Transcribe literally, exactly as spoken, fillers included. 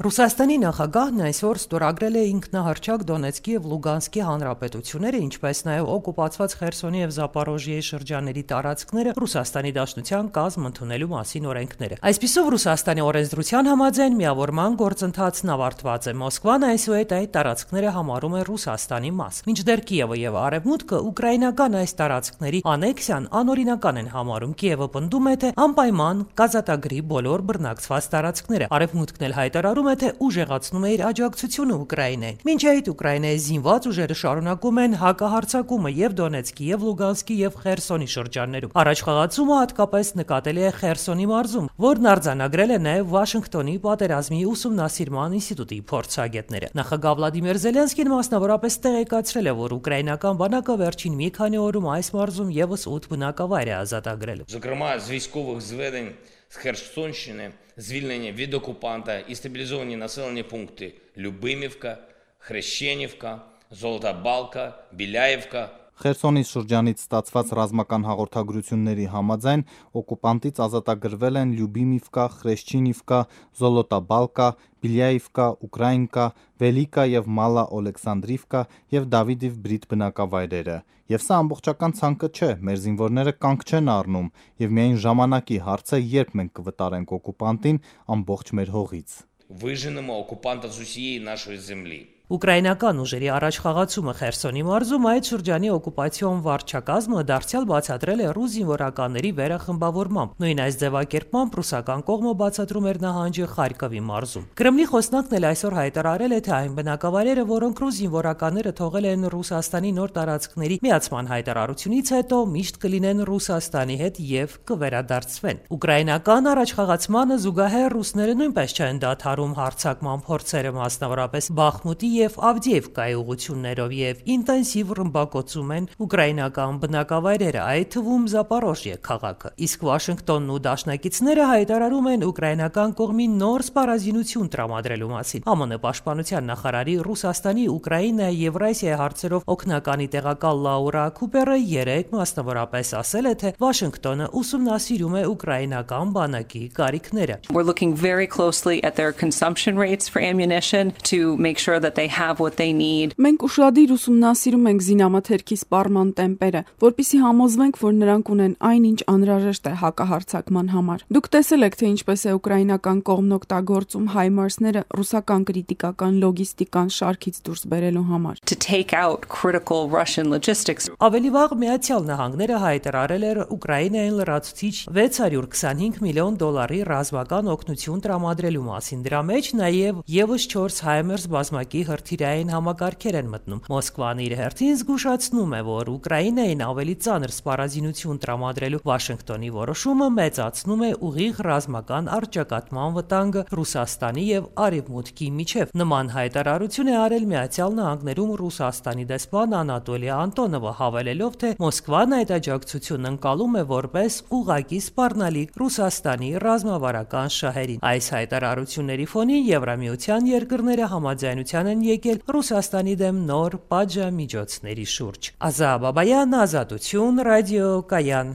Ռուսաստանի նախագահն այսօր ստորագրել է ինքնահռչակ Դոնեցկի և Լուգանսկի հանրապետությունները, ինչպես նաև օկուպացված Խերսոնի և Զապորոժիեի շրջանների տարածքները Ռուսաստանի Դաշնության կազմ ընդունելու մասին օրենքները։ Այսպիսով Ռուսաստանի օրենսդրության համաձայն միավորման գործընթացն ավարտված է։ Մոսկվան այսուհետ այդ տարածքները համարում է Ռուսաստանի մաս, մինչդեռ Կիևը և Արևմուտքը ուկրաինական այս տարածքների անեքսիան անօրինական են համարում։ Կիևը պնդում է, թե անպայման կազատագրի բոլոր բռնակցված տարածքները։ Արևմուտքն էլ հայտարարում է, թե ուժեղացնում է իր աջակցությունը Ուկրաինային։ Մինչ այդ Ուկրաինայի զինված ուժերը շարունակում են հակահարձակումը եւ Դոնեցկի, եւ Լուգանսկի, եւ Խերսոնի շրջաններում։ Առաջխաղացումը հատկապես նկատելի է Խերսոնի մարզում, որն արձանագրել է նաեւ Վաշինգտոնի պատերազմի ուսումնասիրման ինստիտուտի փորձագետները։ Նախագահ Վլադիմիր Զելենսկին մասնավորապես տեղեկացրել է, որ ուկրաինական բանակը վերջին մի քանի օրում այս մարզում եւս ութ բնակավայր է ազատագրել։ Зокрема, з військових зведень з Херсонщини звільнені від окупанта і стабілізовані населені пункти Любимівка, Хрещенівка, Золота Балка, Біляєвка. Խերսոնի շրջանից ստացված ռազմական հաղորդագրությունների համաձայն օկուպանտից ազատագրվել են Լյուբիմիվկա, Խրեշչինիվկա, Զոլոտաբալկա, Բիլյայիվկա, Ուկրաինկա, Վելիկա եւ Մալա Օլեքսանդրիվկա եւ Դավիդիվ Բրիտ բնակավայրերը։ Եվ սա ամբողջական ցանկը չէ, մեր զինվորները կանգ չեն առնում եւ միայն ժամանակի հարց է, երբ մենք կվտարենք օկուպանտին ամբողջ մեր հողից։ Виженемо окупанта з усієї нашої землі. Ուկրաինական ուժերի առաջխաղացումը Խերսոնի մարզում այդ շրջանի օկուպացիոն վարչակազմը դարձյալ բացատրել է ռուս զինվորականների վերախմբավորմամբ։ Նույն այս ձևակերպմամբ ռուսական կողմը բացատրում էր նահանջը Խարկովի մարզում։ Կրեմլի խոսնակն էլ այսօր հայտարարել է, թե այն բնակավայրերը, որոնք ռուս զինվորականները թողել են Ռուսաստանի նոր տարածքների միացման հայտարարությունից հետո, միշտ կլինեն Ռուսաստանի հետ եւ կվերադարձվեն։ Ուկրաինական առաջխաղացմանը զուգահեռ ռուսները նույնպես չեն դադարում հարձակման փորձերը, մասնավորապես Բախմուտի եւ Ավդիևկայի ուղություններով եւ ինտենսիվ ռմբակոծում են ուկրաինական բնակավայրերը, այդ թվում Զապորոժիե քաղաքը։ Իսկ Վաշինգտոնն ու դաշնակիցները հայտարարում են ուկրաինական կողմին նոր սպառազինություն տրամադրելու մասին։ ԱՄՆ պաշտպանության նախարարի Ռուսաստանի, Ուկրաինայի եւ Եվրասիայի հարցերով օգնականի տեղակալ Լաուրա Քուպերը երեկ մասնավորապես ասել է, թե Վաշինգտոնը ուսումնասիրում է ուկրաինական բանակի կարիքները։ We're looking very closely at their consumption rates for ammunition to make sure that they have what they need. Մենք ուշադիր ուսումնասիրում ենք զինամթերքի սպառման տեմպերը, որպեսզի համոզվենք, որ նրանք ունեն այնինչ անհրաժեշտ է հակահարձակման համար։ Դուք տեսել եք, թե ինչպես է ուկրաինական կողմն օգտագործում հայմարսները ռուսական կրիտիկական լոգիստիկան շարքից դուրս բերելու համար։ To take out critical Russian logistics. Ավելի վաղ Միացյալ Նահանգները հայտարարել էր Ուկրաինային լրացուցիչ վեց հարյուր քսանհինգ միլիոն դոլարի ռազմական օգնություն տրամադրելու մասին։ Դրա մեջ նաև եւս չորս հայմերս բազմակի հրթիռային համակարգեր են մտնում։ Մոսկվան իր հերթին զգուշացնում է, որ Ուկրաինային ավելի ծանր սպառազինություն տրամադրելու Վաշինգտոնի որոշումը մեծացնում է ուղիղ ռազմական առճակատման վտանգը Ռուսաստանի եւ Արևմուտքի միջև։ Նման հայտարարություն է արել Միացյալ Նահանգներում Ռուսաստանի դեսպան Անատոլի Անտոնովը, հավելելով, թե Մոսկվան այդ աջակցությունն ընկալում է որպես ուղղակի սպառնալիք Ռուսաստանի ռազմավարական շահերին։ Այս հայտարարությունների ֆոնին Եվրամիության երկրները համաձայնության են եկել Ռուսաստանի դեմ նոր պատժամիջոցների շուրջ։ Ազա Բաբայան, Ազատություն, Ռադիո Կայան։